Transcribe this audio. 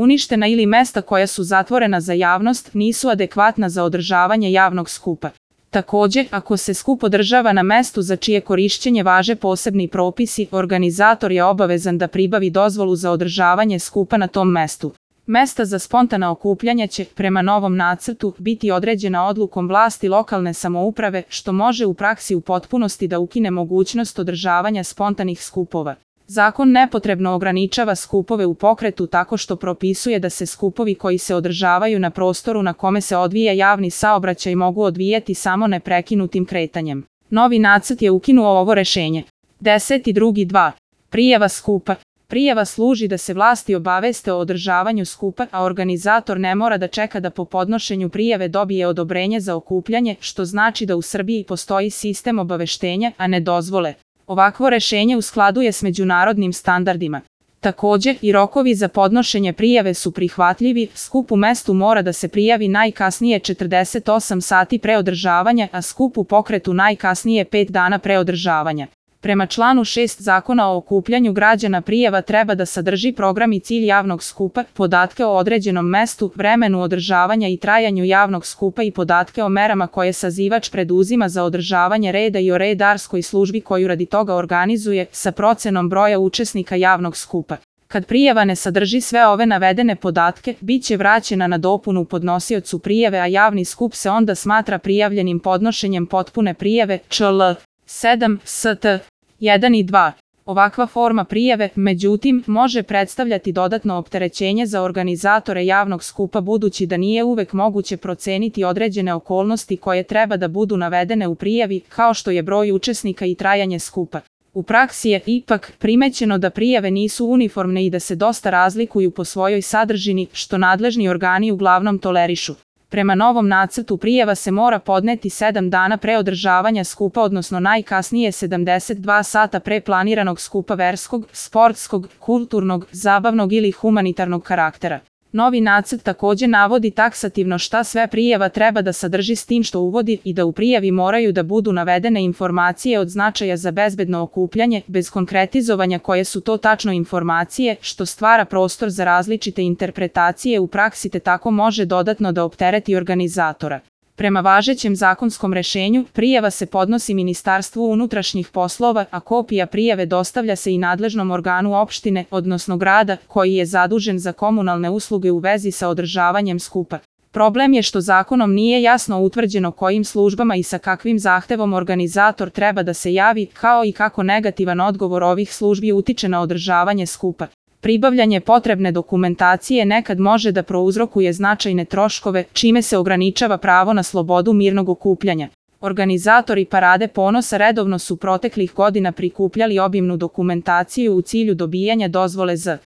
uništena ili mesta koja su zatvorena za javnost nisu adekvatna za održavanje javnog skupa. Također, ako se skup održava na mestu za čije korišćenje važe posebni propisi, organizator je obavezan da pribavi dozvolu za održavanje skupa na tom mestu. Mesta za spontana okupljanja će, prema novom nacrtu, biti određena odlukom vlasti lokalne samouprave, što može u praksi u potpunosti da ukine mogućnost održavanja spontanih skupova. Zakon nepotrebno ograničava skupove u pokretu tako što propisuje da se skupovi koji se održavaju na prostoru na kome se odvija javni saobraćaj mogu odvijati samo neprekinutim kretanjem. Novi nacrt je ukinuo ovo rešenje. 10.2. Prijava skupa. Prijava služi da se vlasti obaveste o održavanju skupa, a organizator ne mora da čeka da po podnošenju prijave dobije odobrenje za okupljanje, što znači da u Srbiji postoji sistem obaveštenja, a ne dozvole. Ovakvo rešenje u skladu je s međunarodnim standardima. Također, i rokovi za podnošenje prijave su prihvatljivi, skup u mestu mora da se prijavi najkasnije 48 sati pre održavanja, a skup u pokretu najkasnije 5 dana pre održavanja. Prema članu 6 Zakona o okupljanju građana prijava treba da sadrži program i cilj javnog skupa, podatke o određenom mestu, vremenu održavanja i trajanju javnog skupa i podatke o merama koje sazivač preduzima za održavanje reda i o redarskoj službi koju radi toga organizuje, sa procenom broja učesnika javnog skupa. Kad prijava ne sadrži sve ove navedene podatke, bit će vraćena na dopunu podnosiocu prijave, a javni skup se onda smatra prijavljenim podnošenjem potpune prijave, čl. 7. St. 1 i 2. Ovakva forma prijave, međutim, može predstavljati dodatno opterećenje za organizatore javnog skupa budući da nije uvek moguće proceniti određene okolnosti koje treba da budu navedene u prijavi, kao što je broj učesnika i trajanje skupa. U praksi je, ipak, primećeno da prijave nisu uniformne i da se dosta razlikuju po svojoj sadržini, što nadležni organi uglavnom tolerišu. Prema novom nacrtu prijava se mora podneti 7 dana pre održavanja skupa, odnosno najkasnije 72 sata pre planiranog skupa verskog, sportskog, kulturnog, zabavnog ili humanitarnog karaktera. Novi nacrt također navodi taksativno šta sve prijava treba da sadrži, s tim što uvodi i da u prijavi moraju da budu navedene informacije od značaja za bezbedno okupljanje, bez konkretizovanja koje su to tačno informacije, što stvara prostor za različite interpretacije u praksi te tako može dodatno da optereti organizatora. Prema važećem zakonskom rešenju, prijava se podnosi Ministarstvu unutrašnjih poslova, a kopija prijave dostavlja se i nadležnom organu opštine, odnosno grada, koji je zadužen za komunalne usluge u vezi sa održavanjem skupa. Problem je što zakonom nije jasno utvrđeno kojim službama i sa kakvim zahtevom organizator treba da se javi, kao i kako negativan odgovor ovih službi utiče na održavanje skupa. Pribavljanje potrebne dokumentacije nekad može da prouzrokuje značajne troškove, čime se ograničava pravo na slobodu mirnog okupljanja. Organizatori Parade ponosa redovno su proteklih godina prikupljali obimnu dokumentaciju u cilju dobijanja dozvole za